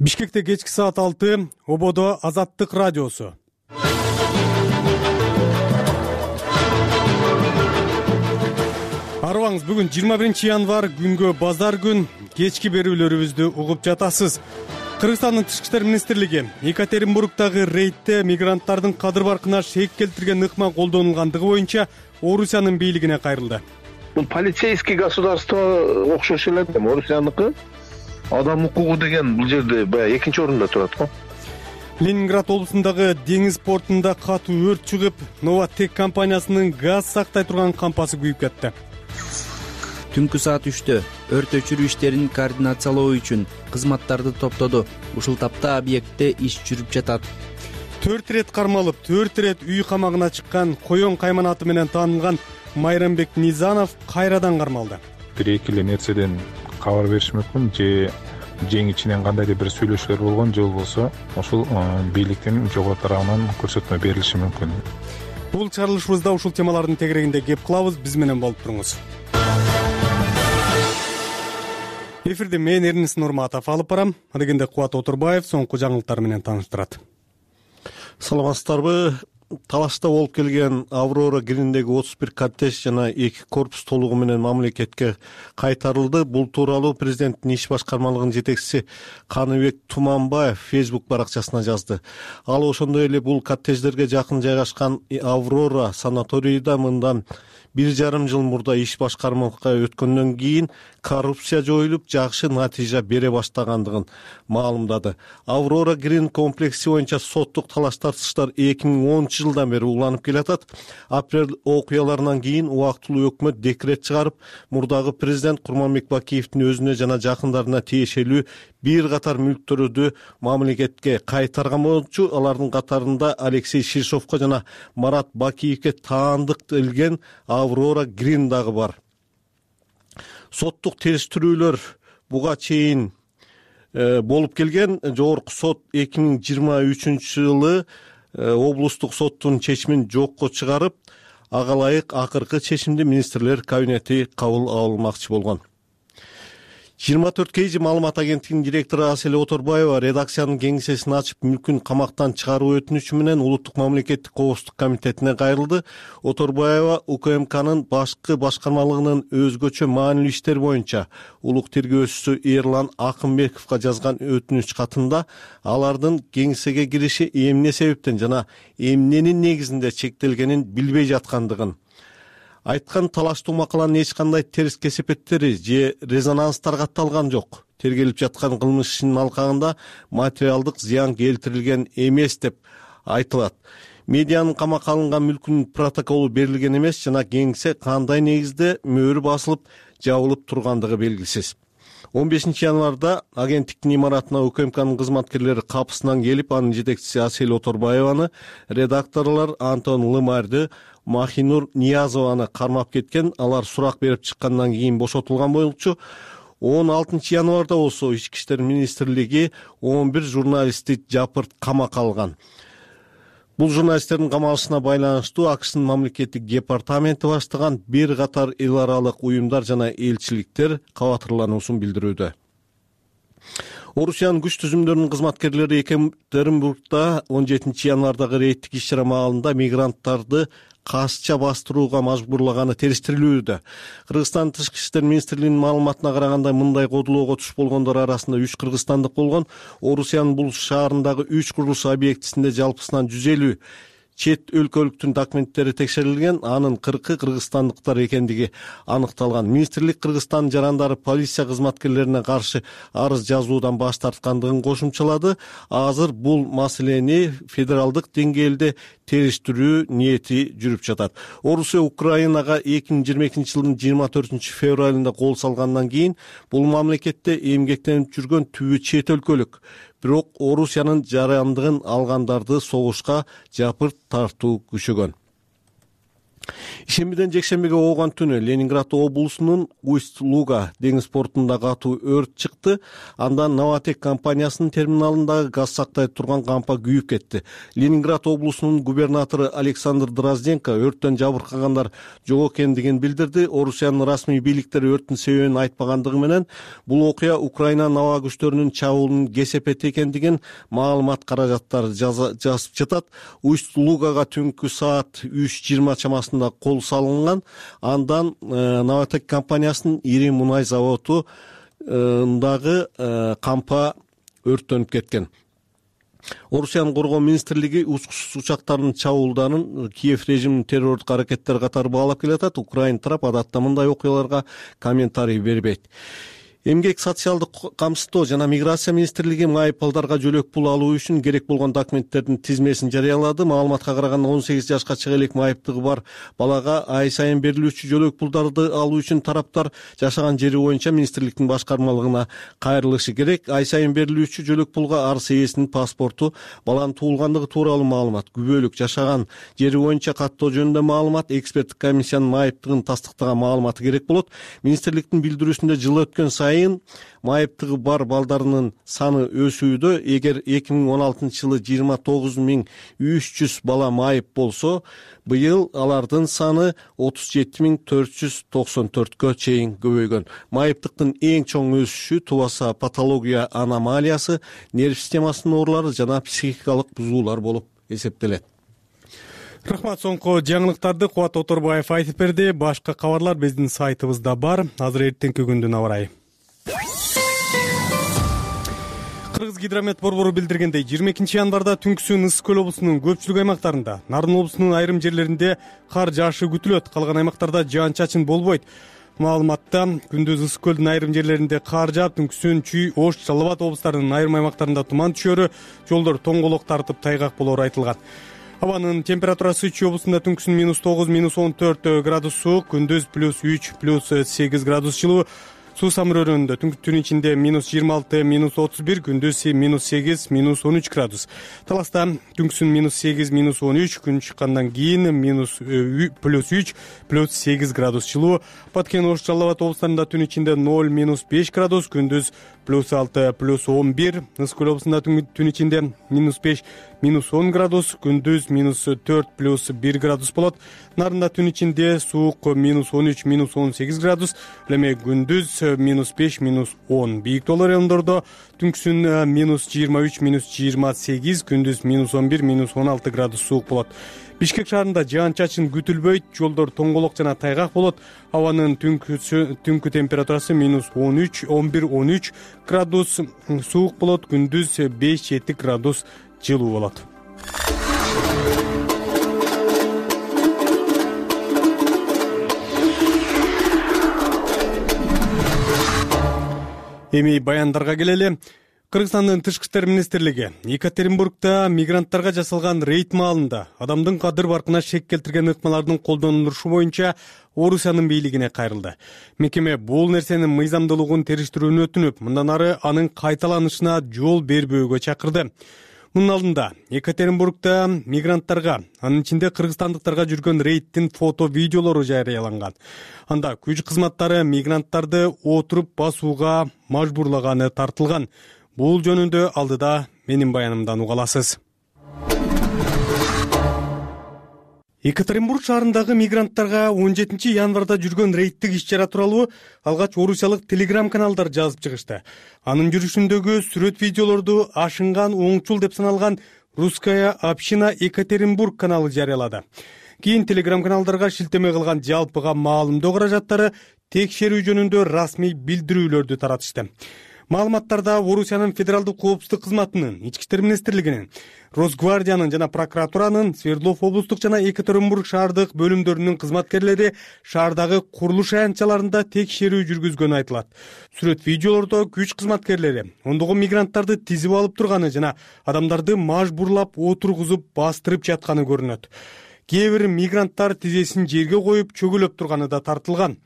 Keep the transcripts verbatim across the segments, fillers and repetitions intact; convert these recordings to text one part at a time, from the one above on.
Бишкекте кечки саат алты, Ободо Азаттык радиосу. Арыбаңыз, бүгүн жыйырма биринчи январь, күнгө базар күн. Кечки берүүлөрүбүздү угуп жатасыз. Кыргызстандын Тышкы иштер министрлиги Екатеринбургдагы рейдте мигранттардын кадыр баркына шек келтирген ыкма колдонулгандыгы боюнча Орусиянын бийлигине кайрылды. Бул полицейский государство окшош эле, Орусияныкы. Адам укугу деген бул жерде баягы экинчи орунда турат го. Ленинград облусундагы деңиз портунда катуу өрт чыгып, Новотек компаниясынын газ сактай турган кампасы күйүп кетти. Түнкү саат үчтө өрт өчүрүү иштерин координациялоо үчүн кызматтарды топтоду. Ушул тапта объектте иш жүрүп жатат. Төрт ирет кармалып, төрт ирет үй камагына чыккан Коён Кайман аты менен таанылган Майрамбек Низанов кайрадан кармалды. Бир эки эле нерседен кабар бериш мүмкүн, же жең ичинен кандайдыр бир сүйлөшүүлөр болгон, же болбосо ошол бийликтин жогору тарабынан көрсөтмө берилиши мүмкүн. Бул чыгарылышыбызда ушул темалардын тегерегинде кеп кылабыз. Биз менен болуп туруңуз. Эфирде мен Эрнис Нурматов алып барам. Адегенде Кубат Отурбаев соңку жаңылыктар менен тааныштырат. Саламатсыздарбы? Талашта болуп келген Аврора Гриндеги отуз бир коттедж жана эки корпус толугу менен мамлекетке кайтарылды. Бул тууралуу президенттин иш башкармалыгынын жетекчиси Каныбек Туманбаев Facebook баракчасына жазды. Ал ошондой эле бул коттедждерге жакын жайгашкан Аврора санаторийда мындан бир жарым жыл мурда иш башкармалыкка өткөндөн кийин коррупция жоюлуп, жакшы натыйжа бере баштагандыгын маалымдады. Аврора Грин комплекси боюнча соттук талаш тартыштар эки миң онунчу жылдан бери уланып келатат. Апрель окуяларынан кийин убактылуу өкмөт декрет чыгарып, мурдагы президент Курманбек Бакиевдин өзүнө жана жакындарына тиешелүү бир катар мүлктөрдү мамлекетке кайтарган болчу. Алардын катарында Алексей Шишовко жана Марат Бакиевке таандык делген Аврора Грин дагы бар. Соттук териштирүүлөр буга чейин э, болуп келген. Жогорку сот эки миң жыйырма үчүнчү жылы э, облустук соттун чечимин жокко чыгарып, ага ылайык акыркы чечимди министрлер кабинети кабыл алмакчы болгон. жыйырма төрт кей жи маалымат агенттигинин директору Асель Оторбаева редакциянын кеңсесин ачып, мүлкүн камактан чыгаруу өтүнүчү менен Улуттук мамлекеттик коопсуздук комитетине кайрылды. Оторбаева УКМКнын башкы башкармалыгынын өзгөчө маанилүү иштер боюнча улук тергөөчүсү Эрлан Акымбековго жазган өтүнүч катында алардын кеңсеге кириши эмне себептен жана эмненин негизинде чектелгенин билбей жаткандыгын айткан. Талаштуу макаланын эч кандай терс кесепеттери же резонанстар катталган жок. Тергелип жаткан кылмыш ишинин алкагында материалдык зыян келтирилген эмес деп айтылат. Медианын камакка алынган мүлкүнүн протоколу берилген эмес жана кеңсе кандай негизде мөөрү басылып жабылып тургандыгы белгисиз. он бешинчи январда агенттиктин имаратына УКМКнын кызматкерлери капысынан келип, анын жетекчиси Асель Оторбаеваны, редакторлор Антон Лымарды, Махинур Ниязованы кармап кеткен. Алар сурак берип чыккандан кийин бошотулган болчу. он алтынчы январда болсо Ички иштер министрлиги он бир журналистти жапырт камакка алган. Бул журналисттердин камалышына байланыштуу АКШнын мамлекеттик департаменти баштаган бир катар эл аралык уюмдар жана элчиликтер кабатырлануусун билдирүүдө. Орусиянын күч түзүмдөрүнүн кызматкерлери Екатеринбургда он жетинчи январдагы рейдтик иш-чара маалында мигранттарды касча бастырууга мажбурлаганы териштирилүүдө. Кыргызстан Тышкы иштер министрлигинин маалыматына караганда, мындай кодулоого туш болгондор арасында үч кыргызстандык болгон. Орусиянын бул шаарындагы үч курулуш объектисинде жалпысынан жүз элүү чет өлкөлүктүн документтери текшерилген, анын кыркы кыргызстандыктар экендиги аныкталган. Министрлик Кыргызстан жарандары полиция кызматкерлерине каршы арыз жазуудан баш тарткандыгын кошумчалады. Азыр бул маселени федералдык деңгээлде териштирүү ниети жүрүп жатат. Орусия Украинага эки миң жыйырма экинчи жылдын жыйырма төртүнчү февралында кол салгандан кийин бул мамлекетте эмгектенип жүргөн түбү чет өлкөлүк. Бирок Орусиянын жарандыгын алгандарды согушка жапырт тартуу күчөгөн. Ишембиден жекшембиге ооган түнү Ленинград облусунун Усть-Луга деңиз портунда катуу өрт чыкты. Андан Новотек компаниясынын терминалындагы газ сактай турган кампа күйүп кетти. Ленинград облусунун губернатору Александр Дрозденко өрттөн жабыркагандар жок экендигин билдирди. Орусиянын расмий бийликтери өрттүн себебин айтпагандыгы менен бул окуя Украинанын аба күчтөрүнүн чабуулунун кесепети экендигин маалымат каражаттары жазып жатат. Усть-Лугага түнкү саат үч жыйырма чамасында кол салынган. Андан Новотек компаниясынын ири мунай заводундагы кампа өрттөнүп кеткен. Орусиянын коргоо министрлиги учкучсуз учактардын чабуулдарын Киев режиминин террорлук аракеттери катары баалап келатат. Украина тарап адатта мындай окуяларга комментарий бербейт. Эмгек, социалдык камсыздоо жана миграция министрлиги майып балдарга жөлөк пул алуу үчүн керек болгон документтердин тизмесин жарыялады. Маалыматка караганда он сегиз жашка чыга элек майыптыгы бар балага ай сайын берилүүчү жөлөк пулдарды алуу үчүн тараптар жашаган жери боюнча министрликтин башкармалыгына кайрылышы керек. Ай сайын берилүүчү жөлөк пулга арс ээсинин паспорту, баланын туулгандыгы тууралуу маалымат, күбөлүк, жашаган жери боюнча каттоо жөнүндө маалымат, эксперттик комиссиянын майыптыгын тастыктаган маалыматы керек болот. Министрликтин билдирүүсүндө жыл өткөн сайын майыптыгы бар балдарынын саны өсүүдө. Эгер эки миң он алтынчы жылы жыйырма тогуз миң үч жүз бала майып болсо, быйыл алардын саны отуз жети миң төрт жүз токсон төрткө чейин көбөйгөн. Майыптыктын эң чоң өсүшү тубаса патология аномалиясы, нерв системасынын оорулары жана психикалык бузуулар болуп эсептелет. Рахмат. Соңку жаңылыктарды Кубат Оторбаев айтып берди. Башка кабарлар биздин сайтыбызда бар. Азыр эртеңки күндүн аба ырайы. Кыргыз гидромет борбору билдиргендей, жыйырма экинчи январда түнкүсүн Ысык көл облусунун көпчүлүк аймактарында, Нарын облусунун айрым жерлеринде кар жаашы күтүлөт. Калган аймактарда жаан-чачын болбойт. Маалыматта күндүз Ысык көлдүн айрым жерлеринде кар жаап, түнкүсүн Чүй, Ош, Жалал Абад облустарынын айрым аймактарында туман түшөрү, жолдор тоңголок тартып тайгак болору айтылган. Абанын температурасы Чүй облусунда түнкүсүн минус тогуз, минус он төрт градус суук, күндүз плюс үч, плюс сегиз градус жылуу. Суу самырөөрүндө түн ичинде минус жыйырма алты, минус отуз бир, күндүз минус сегиз, минус он үч градус. Таласта түнкүсүн минус сегиз, минус он үч, күн чыккандан кийин минус плюс үч, плюс сегиз градус жылуу. Баткен, Ош, Жалал Абад облустарында түн ичинде ноль, минус беш градус, күндүз плюс алты, плюс он бир. Ысык көл облусунда түн ичинде минус беш, минус он градус, күндүз минус төрт, плюс бир градус болот. Нарында түн ичинде суук минус он үч, минус он сегиз градус, эми күндүз минус беш, минус он. Бийик тоолор райондордо түнкүсүн минус жыйырма үч, минус жыйырма сегиз, күндүз минус он бир, минус он алты градус суук болот. Бишкек шаарында жаан-чачын күтүлбөйт, жолдор тоңголок жана тайгак болот. Абанын түнкү температурасы минус он үч, он бир, он үч градус суук болот, күндүз беш, жети градус жылуу болот. Эми баяндарга келели. Кыргызстандын тышкы иштер министрлиги Екатеринбургда мигранттарга жасалган рейд маалында адамдын кадыр баркына шек келтирген ыкмалардын колдонулушу боюнча Орусиянын бийлигине кайрылды. Мекеме бул нерсенин мыйзамдуулугун териштирүүнү өтүнүп, мындан ары анын кайталанышына жол бербөөгө чакырды. Мунун алдында Екатеринбургда мигранттарга, анын ичинде кыргызстандыктарга жүргөн рейдтин фото видеолору жарыяланган. Анда күч кызматтары мигранттарды отуруп басууга мажбурлаганы тартылган. Бул жөнүндө алдыда менин баянымдан уга аласыз. Екатеринбург шаарындагы мигранттарга он жетинчи январда жүргөн рейдтик иш-чара тууралуу алгач орусиялык телеграм-каналдар жазып чыгышты. Анын жүрүшүндөгү сүрөт видеолорду ашынган оңчул деп саналган Русская община Екатеринбург каналы жарыялады. Кийин телеграм-каналдарга шилтеме кылган жалпыга маалымдоо каражаттары текшерүү жөнүндө расмий билдирүүлөрдү таратышты. Маалыматтарда Орусиянын федералдык коопсуздук кызматынын, Ички иштер министрлигинин, Росгвардиянын жана прокуратуранын, Свердлов облустук жана Екатеринбург шаардык бөлүмдөрүнүн кызматкерлери шаардагы курулуш аянтчаларында текшерүү жүргүзгөнү айтылат. Сүрөт видеолордо күч кызматкерлери ондогон мигранттарды тизип алып турганы жана адамдарды мажбурлап отургузуп бастырып жатканы көрүнөт. Кээ бир мигранттар тизесин жерге коюп чөгөлөп турганы да тартылган.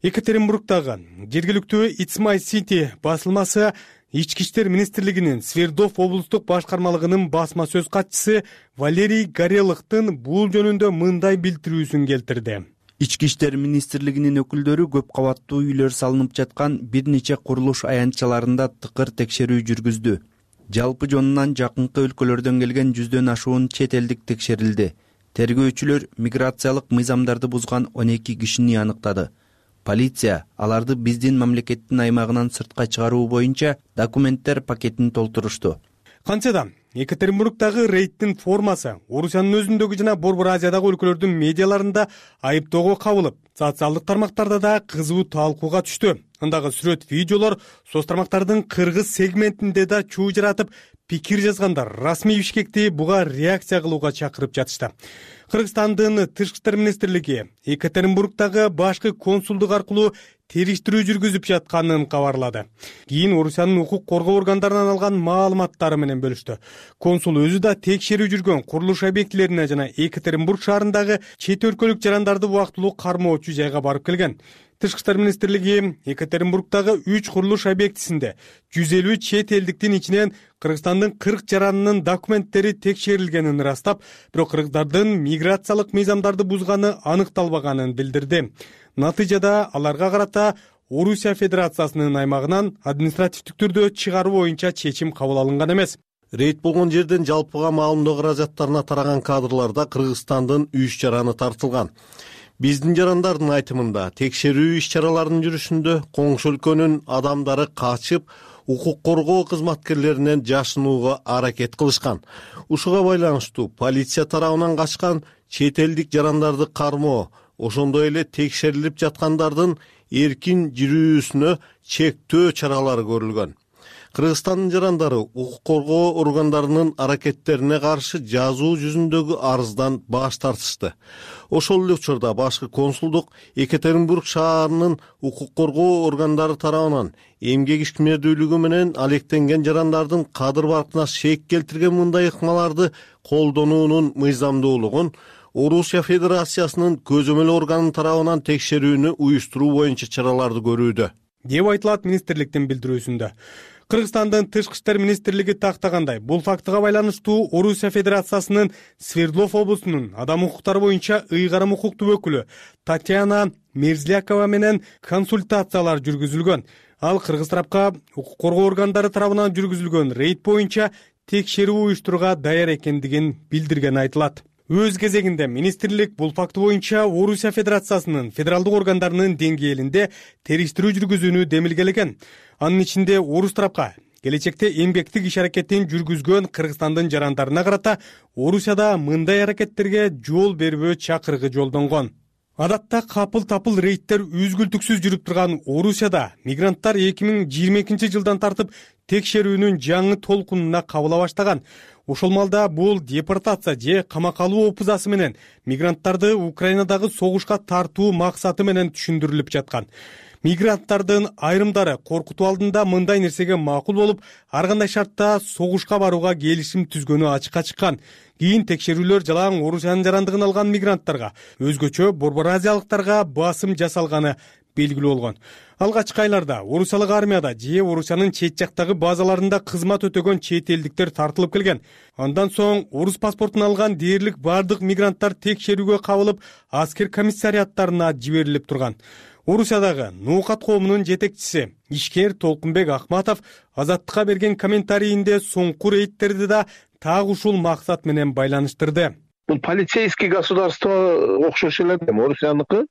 Екатеринбургдагы жергиликтүү It's My City басылмасы Ички иштер министрлигинин Свердлов облустук башкармалыгынын басма сөз катчысы Валерий Горелыхтын бул жөнүндө мындай билдирүүсүн келтирди. Ички иштер министрлигинин өкүлдөрү көп кабаттуу үйлөр салынып жаткан бир нече курулуш аянтчаларында тыкыр текшерүү жүргүздү. Жалпы жонунан жакынкы өлкөлөрдөн келген жүздөн ашуун чет элдик текшерилди. Тергөөчүлөр миграциялык мыйзамдарды бузган он эки кишини аныктады. Полиция аларды биздин мамлекеттин аймагынан сыртка чыгаруу боюнча документтер пакетин толтурушту. Кантсе да Екатеринбургдагы рейдтин формасы Орусиянын өзүндөгү жана Борбор Азиядагы өлкөлөрдүн медиаларында айыптоого кабылып, социалдык тармактарда да кызуу талкууга түштү. Андагы сүрөт, видеолор соц тармактардын кыргыз сегментинде да чуу жаратып, пикир жазгандар расмий Бишкекти буга реакция кылууга чакырып жатышты. Кыргызстандын Тышкы иштер министрлиги Екатеринбургдагы башкы консулдук аркылуу териштирүү жүргүзүп жатканын кабарлады. Кийин Орусиянын укук коргоо органдарынан алган маалыматтары менен бөлүштү. Консул өзү да текшерүү жүргөн курулуш объектилерине жана Екатеринбург шаарындагы чет өлкөлүк жарандарды убактылуу кармоочу жайга барып келген. Тышкы иштер министрлиги Екатеринбургдагы үч курулуш объектисинде жүз элүү чет элдиктин ичинен Кыргызстандын кырк жаранынын документтери текшерилгенин ырастап, бирок кыргыздардын миграциялык мыйзамдарды бузганы аныкталбаганын билдирди. Натыйжада аларга карата Орусия Федерациясынын аймагынан административдик түрдө чыгаруу боюнча чечим кабыл алынган эмес. Рейд болгон жерден жалпыга маалымдоо каражаттарына тараган кадрларда Кыргызстандын үч жараны тартылган. Биздин жарандардын айтымында текшерүү иш-чараларынын жүрүшүндө коңшу өлкөнүн адамдары качып, укук коргоо кызматкерлеринен жашынууга аракет кылышкан. Ушуга байланыштуу полиция тарабынан качкан чет элдик жарандарды кармоо, ошондой эле текшерилип жаткандардын эркин жүрүүсүнө чектөө чаралары көрүлгөн. Кыргызстандын жарандары укук коргоо органдарынын аракеттерине каршы жазуу жүзүндөгү арыздан баш тартышты. Ошол эле учурда башкы консулдук Екатеринбург шаарынын укук коргоо органдары тарабынан эмгек ишмердүүлүгү менен алектенген жарандардын кадыр баркына шек келтирген мындай ыкмаларды колдонуунун мыйзамдуулугун Орусия Федерациясынын көзөмөл органынын тарабынан текшерүүнү уюштуруу боюнча чараларды көрүүдө, деп айтылат министрликтин билдирүүсүндө. Кыргызстандын Тышкы иштер министрлиги тактагандай, бул фактыга байланыштуу Орусия Федерациясынын Свердлов облусунун адам укуктары боюнча ыйгарым укуктуу өкүлү Татьяна Мерзлякова менен консультациялар жүргүзүлгөн. Ал кыргыз тарапка укук коргоо органдары тарабынан жүргүзүлгөн рейд боюнча текшерүү уюштурууга даяр экендигин билдиргени айтылат. Өз кезегинде министрлик бул факты боюнча Орусия Федерациясынын федералдык органдарынын деңгээлинде териштирүү жүргүзүүнү демилгелеген. Анын ичинде орус тарапка келечекте эмгектик иш аракетин жүргүзгөн Кыргызстандын жарандарына карата Орусияда мындай аракеттерге жол бербөө чакырыгы жолдонгон. Адатта капыл-тапыл рейдтер үзгүлтүксүз жүрүп турган Орусияда мигранттар эки миң жыйырма экинчи жылдан тартып текшерүүнүн жаңы толкунуна кабыла баштаган. Ошол малда бул депортация же камакка алуу опузасы менен мигранттарды Украинадагы согушка тартуу максаты менен түшүндүрүлүп жаткан. Мигранттардын айрымдары коркутуу алдында мындай нерсеге макул болуп, ар кандай шартта согушка барууга келишим түзгөнү ачыкка чыккан. Кийин текшерүүлөр жалаң Орусиянын жарандыгын алган мигранттарга, өзгөчө Борбор Азиялыктарга басым жасалганы белгилүү болгон. Алгачкы айларда Орусиялык армияда же Орусиянын чет жактагы базаларында кызмат өтөгөн чет элдиктер тартылып келген. Андан соң орус паспортун алган дээрлик бардык мигранттар текшерүүгө кабылып, аскер комиссариаттарына жиберилип турган. Орусиядагы Нуукат коомунун жетекчиси ишкер Толкунбек Акматов Азаттыкка берген комментарийинде соңку рейдтерди да так ушул максат менен байланыштырды. Бул полицейский государство окшош эле, Орусияныкы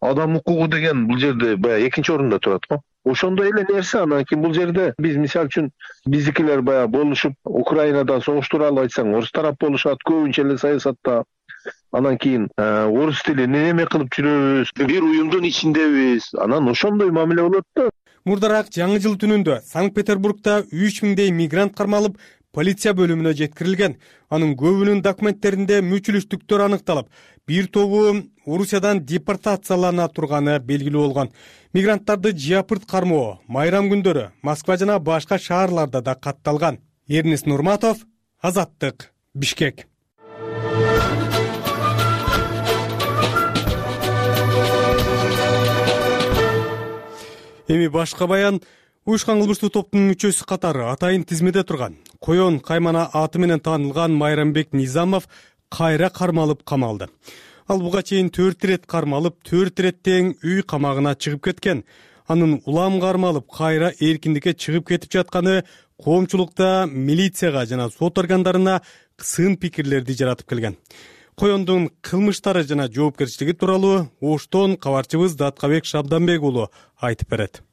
адам укугу деген бул жерде баягы экинчи орунда турат го. Ошондой эле нерсе. Анан кийин бул жерде биз мисалы үчүн биздикилер баягы болушуп Украинада согуш тууралуу айтсаң, орус тарап болушат, көбүнчө эле саясатта. Анан кийин орус тилин неме кылып жүрөбүз, бир уюмдун ичиндебиз. Анан ошондой мамиле болот да. Мурдараак жаңы жыл түнүндө Санкт-Петербургда үч миңдей мигрант кармалып, полиция бөлүмүнө жеткирилген. Анын көбүнүн документтеринде мүчүлүштүктөр аныкталып, бир тобу Орусиядан депортациялана турганы белгилүү болгон. Мигранттарды жапырт кармоо майрам күндөрү Москва жана башка шаарларда да катталган. Эрнест Нурматов, Азаттык, Бишкек. Эми башка баян. уюшкан кылмыштуу топтун мүчөсү катары атайын тизмеде турган Коен Каймана аты менен таанылган Майрамбек Низамов кайра кармалып камалды. Ал буга чейин төрт ирет кармалып, төрт ирет тең үй камагына чыгып кеткен. Анын улам кармалып, кайра эркиндикке чыгып кетип жатканы коомчулукта милицияга жана сот органдарына сын пикирлерди жаратып келген. Коендун кылмыштары жана жоопкерчилиги тууралуу Оштон кабарчыбыз Даткабек Шабданбек уулу айтып берет.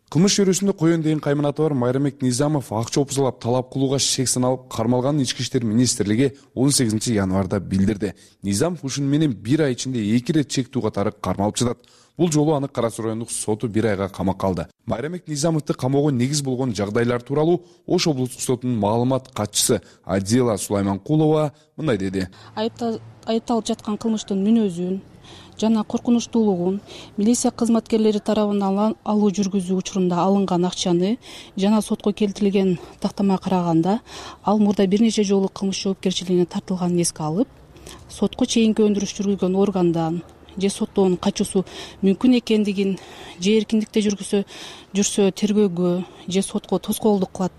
Кылмыш чөйрөсүндө Коен деген кайманаты бар Майрамбек Низамов акча опузалап талап кылууга шек саналып кармалганын Ички иштер министрлиги он сегизинчи январда билдирди. Низамов ушуну менен бир ай ичинде эки ирет чектүү катары кармалып жатат. Бул жолу аны Кара Суу райондук соту бир айга камакка алды. Майрамбек Низамовду камоого негиз болгон жагдайлар тууралуу Ош облустук сотунун маалымат катчысы Адила Сулайманкулова мындай деди. Айыпталып жаткан кылмыштын мүнөзүн жана коркунучтуулугун, милиция кызматкерлери тарабынан алуу жүргүзүү учурунда алынган акчаны жана сотко келтирилген тактамага караганда, ал мурда бир нече жолу кылмыш жоопкерчилигине тартылганын эске алып, сотко чейинки өндүрүш жүргүзгөн органдан же соттоонун качуусу мүмкүн экендигин, же эркиндикте жүргүсө жүрсө тергөөгө же сотко тоскоолдук кылат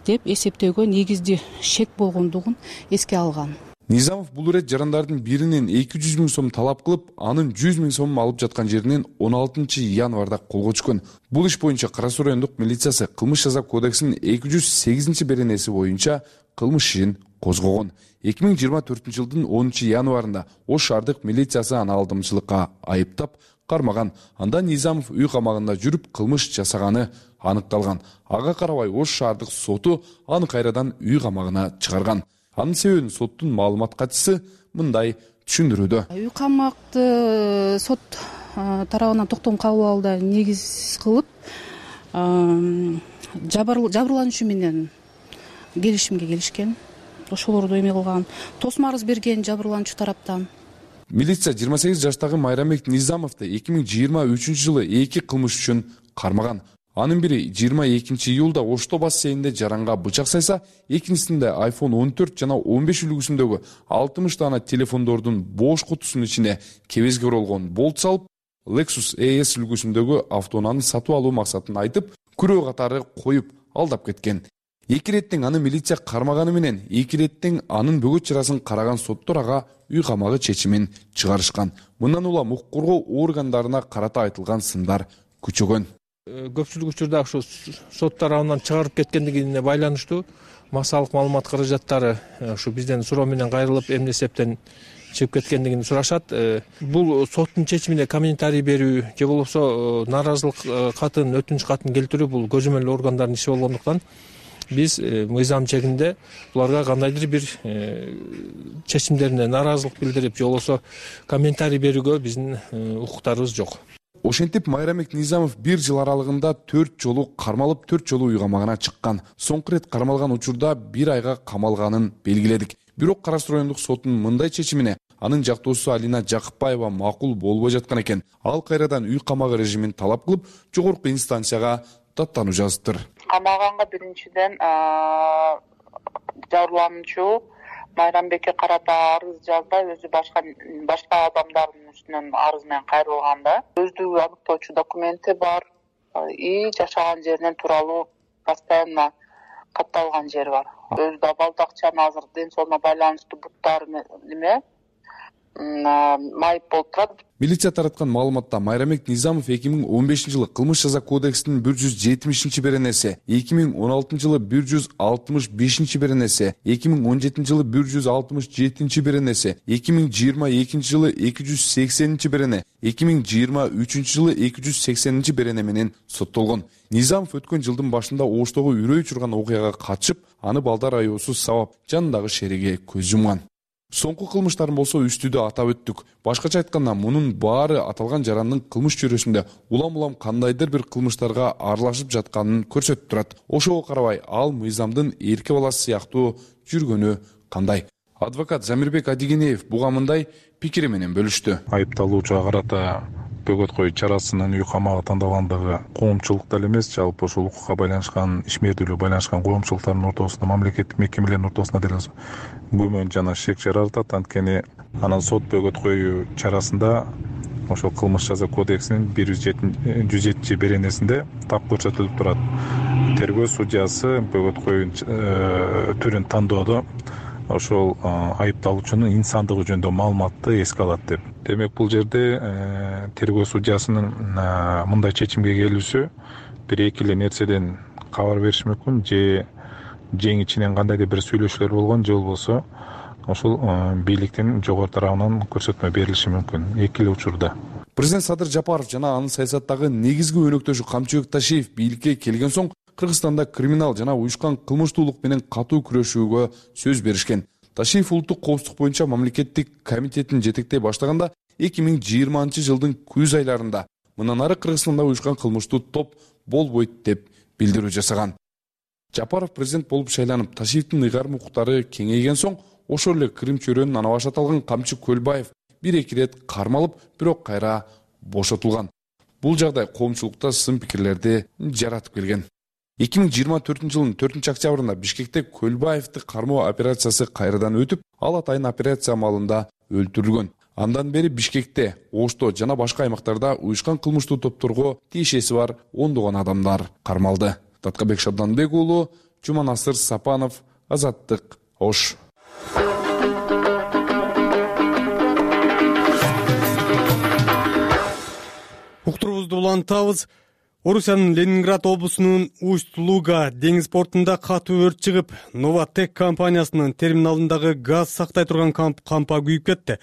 деп эсептөөгө негизди шек болгондугун эске алган. Низамов бул ирет жарандардын биринен эки жүз миң сом талап кылып, анын жүз миң сомун алып жаткан жеринен он алтынчы январда колго түшкөн. Бул иш боюнча Кара Суу райондук милициясы кылмыш жаза кодексинин эки жүз сегизинчи беренеси боюнча кылмыш ишин козгогон. эки миң жыйырма төртүнчү жылдын онунчу январында Ош шаардык милициясы аны алдамчылыкка айыптап кармаган. Анда Низамов үй камагында жүрүп кылмыш жасаганы аныкталган. Ага карабай Ош шаардык соту аны кайрадан үй камагына чыгарган. Анын себебин соттун маалымат катчысы мындай түшүндүрүүдө. Үй камакты сот тарабынан токтом кабыл алууда негиз кылып, жабырлануучу менен келишимге келишкен. Ошолорду эме кылган, тосмо арыз берген жабырлануучу тараптан. Милиция жыйырма сегиз жаштагы Майрамбек Низамовду эки миң жыйырма үчүнчү жылы эки кылмыш үчүн кармаган. Анын бири жыйырма экинчи июлда Ошто бассейнинде жаранга бычак сайса, экинчисинде айфон он төрт жана он беш үлгүсүндөгү алтымыш дана телефондордун бош кутусунун ичине кебезге оролгон болт салып, Lexus E S үлгүсүндөгү автоунааны сатып алуу максатын айтып, күрөө катары коюп алдап кеткен. Эки иреттен аны милиция кармаганы менен эки иреттен анын бөгөт чарасын караган соттор ага үй камагы чечимин чыгарышкан. Мындан улам укук коргоо органдарына карата айтылган сындар күчөгөн. Көпчүлүк учурда ушу сот тарабынан чыгарып кеткендигине байланыштуу массалык маалымат каражаттары ушу бизден суроо менен кайрылып, эмне эсептен чыгып кеткендигин сурашат. Бул соттун чечимине комментарий берүү же болбосо нааразылык катын, өтүнүч катын келтирүү бул көзөмөл органдардын иши болгондуктан биз мыйзам чегинде буларга кандайдыр бир чечимдерине нааразылык билдирип же болбосо комментарий берүүгө биздин укуктарыбыз жок. Ошентип Майрамбек Низамов бир жыл аралыгында төрт жолу кармалып, төрт жолу үй камагына чыккан. Соңку ирет кармалган учурда бир айга камалганын белгиледик. Бирок Кара Суу райондук сотунун мындай чечимине анын жактоосу Алина Жакыпбаева макул болбой жаткан экен. Ал кайрадан үй камагы режимин талап кылып, жогорку инстанцияга даттануу жазыптыр. Камаганга биринчиден жабырлануучу Майрамбекке карата арыз жазбай, өзү башка башка адамдардын үстүнөн арыз менен кайрылганда, өздүгү аныктоочу документи бар и жашаган жеринен тууралуу постоянно катталган жери бар. Өзү да балды акчаны азыр ден соолугуна байланыштуу буттары неме майып болуп турат. Милиция тараткан маалыматта Майрамбек Низамов эки миң он бешинчи жылы кылмыш жаза кодексинин бир жүз жетимишинчи беренеси, эки миң он алтынчы жылы бир жүз алтымыш бешинчи беренеси, эки миң он жетинчи жылы бир жүз алтымыш жетинчи беренеси, эки миң жыйырма экинчи жылы эки жүз сексенинчи берене, эки миң жыйырма үчүнчү жылы эки жүз сексенинчи берене менен соттолгон. Низамов өткөн жылдын башында Оштогу үрөй учурган окуяга катышып, аны балдар аyoосуз сабап, жанындагы шериге көз жумган. Соңку кылмыштарын болсо үстүдө атап өттүк. Башкача айтканда, мунун баары аталган жарандын кылмыш чөйрөсүндө улам-улам кандайдыр бир кылмыштарга аралашып жатканын көрсөтүп турат. Ошого карабай, ал мыйзамдын эрке баласы сыяктуу жүргөнү кандай? Адвокат Замирбек Адигенеев буга мындай пикири менен бөлүштү. Айыпталуучуга карата бөгөт коюу чарасынын үй камагы тандалгандыгы коомчулук деле эмес, жалпы ушул укукка байланышкан, ишмердүүлүгү байланышкан коомчулуктардын ортосунда, мамлекеттик мекемелердин ортосунда деле күмөн жана шек жаратат. Анткени анан сот бөгөт коюу чарасында ошол кылмыш жаза кодексинин бир жүз жетинчи беренесинде так көрсөтүлүп турат. Тергөө судьясы бөгөт коюун түрүн тандоодо ошол айыпталуучунун инсандыгы жөнүндө маалыматты эске алат деп. Демек бул жерде тергөө судьясынын мындай чечимге келүүсү бир эки эле нерседен кабар бериши мүмкүн, же жең ичинен кандайдыр бир сүйлөшүүлөр болгон, же болбосо ошол бийликтин жогору тарабынан көрсөтмө берилиши мүмкүн эки эле учурда. Президент Садыр Жапаров жана анын саясаттагы негизги өнөктөшү Камчыбек Ташиев бийликке келген соң Кыргызстанда криминал жана уюшкан кылмыштуулук менен катуу күрөшүүгө сөз беришкен. Ташиев улуттук коопсуздук боюнча мамлекеттик комитетин жетектей баштаганда эки миң жыйырманчы жылдын күз айларында мындан ары Кыргызстанда уюшкан кылмыштуу топ болбойт деп билдирүү жасаган. Жапаров президент болуп шайланып, Ташиевдин ыйгарым укуктары кеңейген соң ошол эле Крим чөйрөнүн ана башы аталган Камчы Көлбаев бир-эки ирет кармалып, бирок кайра бошотулган. Бул жагдай коомчулукта сын пикирлерди жаратып келген. эки миң жыйырма төртүнчү жылдын төртүнчү октябрында Бишкекте Көлбаевди кармоо операциясы кайрадан өтүп, ал атайын операция маалында өлтүрүлгөн. Андан бери Бишкекте, Ошто жана башка аймактарда уюшкан кылмыштуу топторго тиешеси бар ондогон адамдар кармалды. Таткабек Шабданбек уулу, Жуманасыр Сапанов, Азаттык, Ош. Уктурубузду улантабыз. Орусиянын Ленинград облусунун Усть-Луга деңиз портунда катуу өрт чыгып, Новатек компаниясынын терминалындагы газ сактай турган кампа күйүп кетти.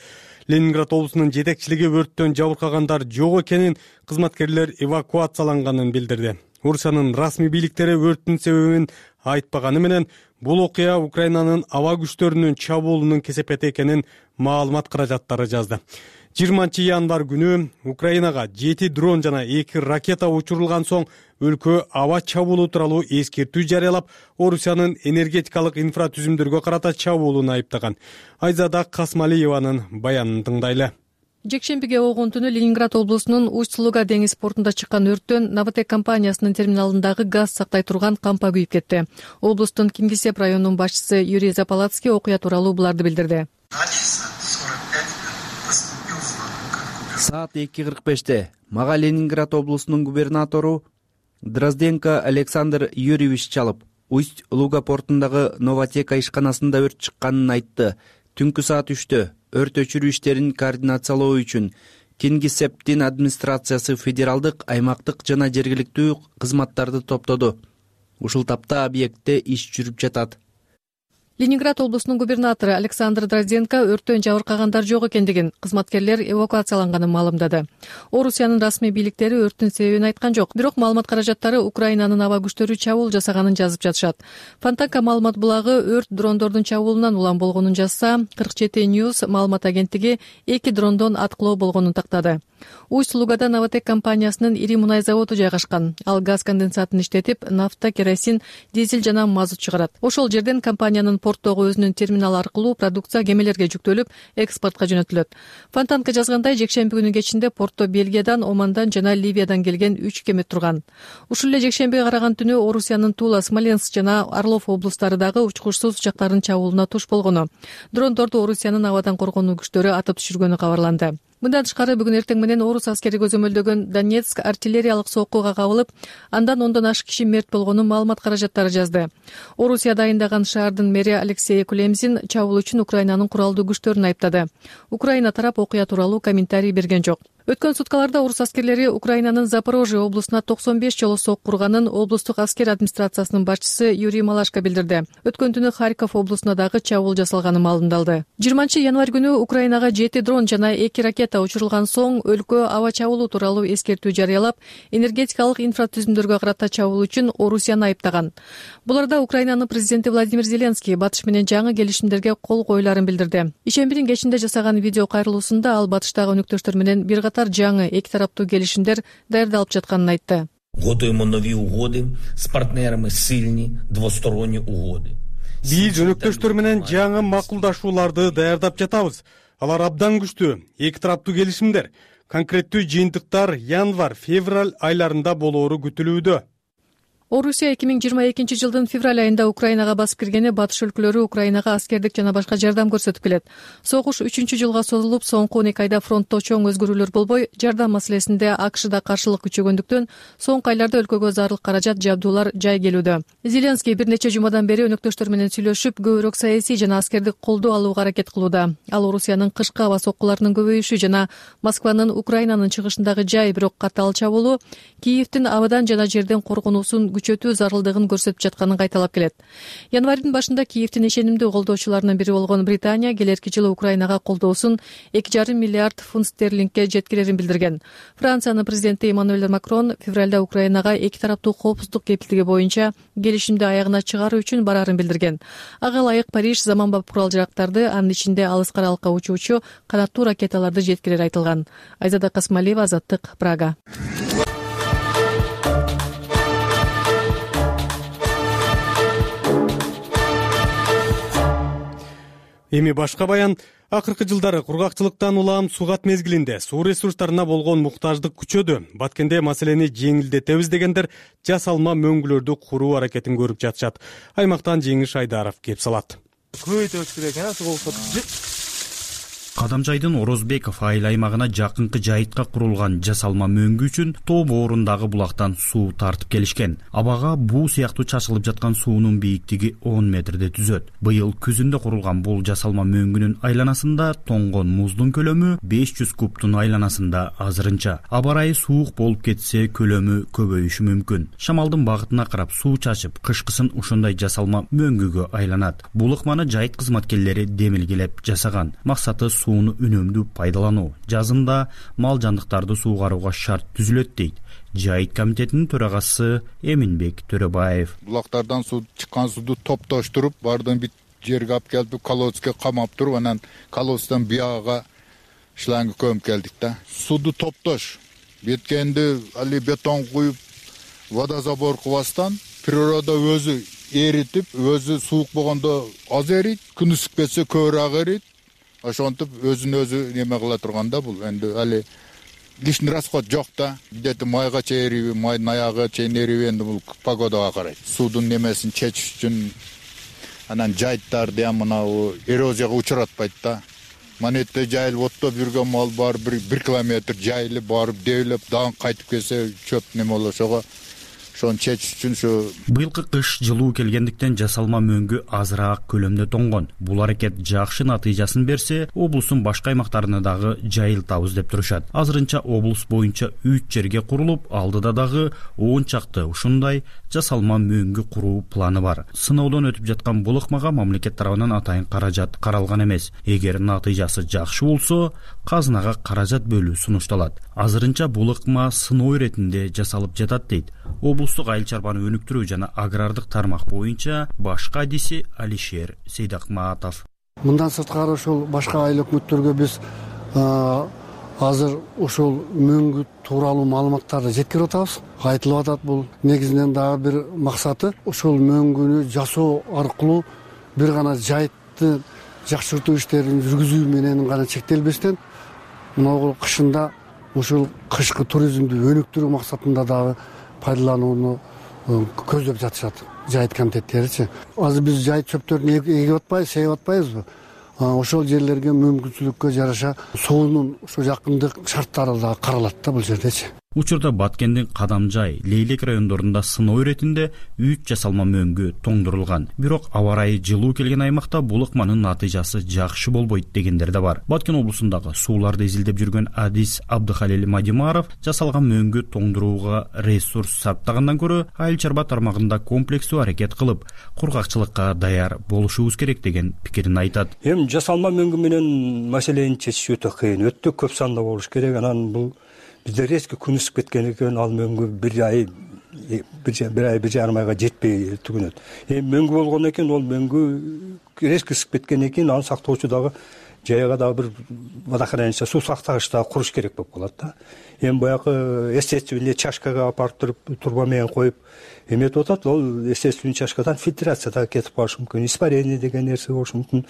Ленинград облусунун жетекчилиги өрттөн жабыркагандар жок экенин, кызматкерлер эвакуацияланганын билдирди. Орусиянын расмий бийликтери өрттүн себебин айтпаганы менен, бул окуя Украинанын аба күчтөрүнүн чабуулунун кесепети экенин маалымат каражаттары жазды. жыйырманчы январь күнү Украинага жети дрон жана эки ракета учурулган соң өлкө аба чабуулу тууралуу эскертүү жарыялап, Орусиянын энергетикалык инфратүзүмдөргө карата чабуулун айыптаган. Айзада Касмалиеванын баянын тыңдайлы. Жекшембиге болгон түнү Ленинград облусунун Усть-Луга деңиз портунда чыккан өрттөн Новатек компаниясынын терминалындагы газ сактай турган кампа күйүп кетти. Облустун Кингисепп районунун башчысы Юрий Запалацкий окуя тууралуу буларды билдирди. Саат эки кырк беште мага Ленинград облусунун губернатору Дрозденко Александр Юрьевич чалып, Усть-Луга портундагы Новатек ишканасында өрт чыкканын айтты. Түнкү саат үчтө өрт өчүрүү иштерин координациялоо үчүн Кингисепптин администрациясы федералдык, аймактык жана жергиликтүү кызматтарды топтоду. Ушул тапта объектте иш жүрүп жатат. Ленинград облусунун губернатору Александр Дрозденко өрттөн жабыркагандар жок экендигин, кызматкерлер эвакуацияланганын маалымдады. Орусиянын расмий бийликтери өрттүн себебин айткан жок, бирок маалымат каражаттары Украинанын аба күчтөрү чабуул жасаганын жазып жатышат. Фонтанка маалымат булагы өрт дрондордун чабуулунан улам болгонун жазса, кырк жети News маалымат агенттиги эки дрондон аткылоо болгонун тактады. Усть-Лугада Новатек компаниясынын ири мунай заводу жайгашкан. Ал газ конденсатын иштетип, нафта, керосин, дизель жана мазут чыгарат. Ошол жерден компаниянын порттогу өзүнүн терминалы аркылуу продукция кемелерге жүктөлүп, экспортко жөнөтүлөт. Фонтанка жазгандай, жекшемби күнү кечинде портто Бельгиядан, Омандан жана Ливиядан келген үч кеме турган. Ушул эле жекшембиге караган түнү Орусиянын Тула, Смоленск жана Орлов облустары дагы учкучсуз учактардын чабуулуна туш болгону. Дрондорду Орусиянын абадан коргонуу күчтөрү атып түшүргөнү кабарланды. Мындан тышкары бүгүн эртең менен орус аскери көзөмөлдөгөн Донецк артиллериялык соккуга кабылып, андан ондон ашык киши мерт болгонун маалымат каражаттары жазды. Орусия дайындаган шаардын мэри Алексей Кулемзин чабуул үчүн Украинанын куралдуу күчтөрүн айыптады. Украина тарап окуя тууралуу комментарий берген жок. Өткөн суткаларда орус аскерлери Украинанын Запорожье облусуна токсон беш жолу сок курганын облустук аскер администрациясынын башчысы Юрий Малашко билдирди. Өткөн түнү Харьков облусуна дагы чабуул жасалганы маалымдалды. жыйырманчы январь күнү Украинага жети дрон жана эки ракета учурулган соң өлкө аба чабуулу тууралуу эскертүү жарыялап, энергетикалык инфратүзүмдөргө карата чабуул үчүн Орусияны айыптаган. Буларда Украинанын президенти Владимир Зеленский Батыш менен жаңы келишимдерге кол коюларын билдирди. Ишембирин кечинде жасаган видео кайрылуусунда ал Батыштагы өнөктөштөр менен бир жаңы эки тараптуу келишимдер даярдалып жатканын айтты. Готовимо нові угоди з партнерами, сильні двосторонні угоди. Биз өнөктөштөр менен жаңы макулдашууларды даярдап жатабыз. Алар абдан күчтүү, эки тараптуу келишимдер. Конкреттүү жыйынтыктар январь, февраль айларында болоору күтүлүүдө. Орусия эки миң жыйырма экинчи жылдын февраль айында Украинага басып киргени батыш өлкөлөрү Украинага аскердик жана башка жардам көрсөтүп келет. Согуш үчүнчү жылга созулуп, соңку он эки айда фронтто чоң өзгөрүүлөр болбой, жардам маселесинде АКШда каршылык күчөгөндүктөн соңку айларда өлкөгө зарыл каражат, жабдуулар жай келүүдө. Зеленский бир нече жумадан бери өнөктөштөр менен сүйлөшүп, көбүрөөк саясий жана аскердик колдоо алууга аракет кылууда. Ал Орусиянын кышкы аба соккуларынын көбөйүшү жана Москванын Украинанын чыгышындагы жай, бирок катаал чабуулу Киевдин абадан жана жерден коргонуусун күчөтүү зарылдыгын көрсөтүп жатканын кайталап келет. Январдын башында Киевдин ишенимдүү колдоочуларынын бири болгон Британия келерки жылы Украинага колдоосун эки жарым миллиард фунт стерлингге жеткирерин билдирген. Франциянын президенти Эммануэль Макрон февралда Украинага эки тараптуу коопсуздук кепилдиги боюнча келишимди аягына чыгаруу үчүн барарын билдирген. Ага ылайык Париж заманбап курал-жарактарды, анын ичинде алыс аралыкка учуучу канаттуу ракеталарды жеткирери айтылган. Айзада Касмалиева, Азаттык, Прага. Эми башка баян. Акыркы жылдары кургакчылыктан улам сугат мезгилинде суу ресурстарына болгон муктаждык күчөдү. Баткенде маселени жеңилдетебиз дегендер жасалма мөңгүлөрдү куруу аракетин көрүп жатышат. Аймактан Жеңиш Айдаров кеп салат. Көбөйтөбүз керек экен, суу болуп. Кадамжайдын Орозбеков айыл аймагына жакынкы жайытка курулган жасалма мөңгү үчүн тоо боорундагы булактан суу тартып келишкен. Абага буу сыяктуу чачылып жаткан суунун бийиктиги он метрде түзөт. Быйыл күзүндө курулган бул жасалма мөңгүнүн айланасында тоңгон муздун көлөмү беш жүз кубтун айланасында азырынча. Аба ырайы суук болуп кетсе көлөмү көбөйүшү мүмкүн. Шамалдын багытына карап суу чачып, кышкысын ушундай жасалма мөңгүгө айланат. Бул ыкманы жайыт кызматкерлери демилгелеп жасаган. Максаты сууну үнөмдүү пайдалануу. Жазында мал жандыктарды суугарууга шарт түзүлөт дейт Жайыт комитетинин төрагасы Эминбек Төрөбаев. Булактардан суу чыккан сууду топтоштуруп, бардын бит жерге алып келип, колодцке камап туруп, анан колодцтан бияга шланг көмүп келдик да. Сууду топтош. Беткенди али бетон куюп, водозабор кылбастан природа өзү эритип, өзү суук болгондо аз эрийт, күн ысып кетсе көбүрөөк эрийт. Ошонтип өзүн өзү неме кыла турганда бул энди али лишний расход жок да. Где-то майга чейриби, майдын аягы чейин эриби, энди бул погодага карайт. Суудун немесин чечиш үчүн анан жайыттарды ham мынау эрозияга учуратпайт да. Манетте жайылып оттоп жүргөн мал бар, бир километр жайылып барып дээлеп, дагы кайтып келсе чөп неме болот. Ошого ошону чечиш үчүн ушу быйылкы кыш жылуу келгендиктен жасалма мөңгү азыраак көлөмдө тоңгон. Бул аракет жакшы натыйжасын берсе, облустун башка аймактарына дагы жайылтабыз деп турушат. Азырынча облус боюнча үч жерге курулуп, алдыда дагы он чакты ушундай жасалма мөңгү куруу планы бар. Сыноодон өтүп жаткан бул ыкмага мамлекет тарабынан атайын каражат каралган эмес. Эгер натыйжасы жакшы болсо, казынага каражат бөлүү сунушталат. Азырынча бул ыкма сыноо иретинде жасалып жатат дейт облустук айыл чарбаны өнүктүрүү жана агрардык тармак боюнча башкы адиси Алишер Сейдакматов. Мындан сырткары ошол башка айыл өкмөттөргө биз азыр ошол мөңгү тууралуу маалыматтарды жеткирип атабыз. Айтылып атат бул негизинен дагы бир максаты ошол мөңгүнү жасоо аркылуу бир гана жайытты жакшыртуу иштерин жүргүзүү менен гана чектелбестен, мына кышында ошол кышкы туризмди өнүктүрүү максатында дагы пайдаланууну көздөп жатышат жайыт комитеттеричи. Азыр биз жайыт чөптөрүн эгип атпайбыз, сейип атпайбызбы? Ошол жерлерге мүмкүнчүлүккө жараша суунун ушу жакындык шарттары да каралат да бул жердечи. Учурда Баткендин Кадамжай, Лейлек райондорунда сыноо иретинде үч жасалма мөңгү тоңдурулган. Бирок аба ырайы жылуу келген аймакта бул ыкманын натыйжасы жакшы болбойт дегендер да бар. Баткен облусундагы сууларды изилдеп жүргөн адис Абдыхалил Мадимаров жасалган мөңгү тоңдурууга ресурс сарптагандан көрө айыл чарба тармагында комплекстүү аракет кылып, кургакчылыкка даяр болушубуз керек деген пикирин айтат. Эми жасалма мөңгү менен маселени чечиш өтө кыйын, өтө көп санда болуш керек. Анан бул бизде резко күн ысып кеткен экен, ал мөңгү бир ай бир ай бир жарым айга жетпей түгүнөт. Эми мөңгү болгон экен, ол мөңгү резко ысып кеткен экен, аны сактоочу дагы жайга дагы бир водохранилище суу сактагыч дагы куруш керек болуп калат да. Эми баягы естественный чашкага алып барып туруп турба менен коюп эметип атат, ол естественный чашкадан фильтрация дагы кетип калышы мүмкүн, испарение деген нерсе болушу мүмкүн.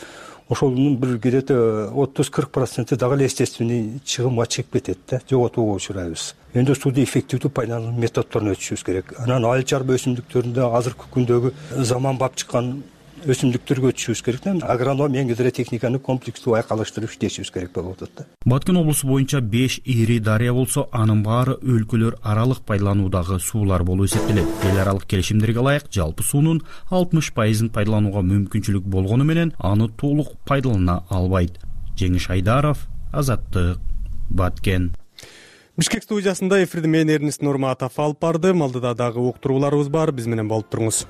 Ошонун бир где-то отуз кырк проценти дагы эле естественный чыгымга чыгып кетет да, жоготууга учурайбыз. Эми сууну эффективдүү пайдалануу методдорун өтүшүбүз керек. Анан айыл чарба өсүмдүктөрүндө азыркы күндөгү заманбап чыккан өсүмдүктөргө өтүшүбүз керек да. Агроном менен гидротехниканы комплекстүү айкалыштырып иштешибиз керек болуп атат да. Баткен облусу боюнча беш ири дарыя болсо, анын баары өлкөлөр аралык пайдалануудагы суулар болуп эсептелет. Эл аралык келишимдерге ылайык жалпы суунун алтымыш пайызын пайдаланууга мүмкүнчүлүк болгону менен аны толук пайдалана албайт. Жеңиш Айдаров, Азаттык, Баткен. Бишкек студиясында эфирди мен Эрнест Нурматов алып бардым. Алдыда дагы уктурууларыбыз бар. Биз менен болуп туруңуз.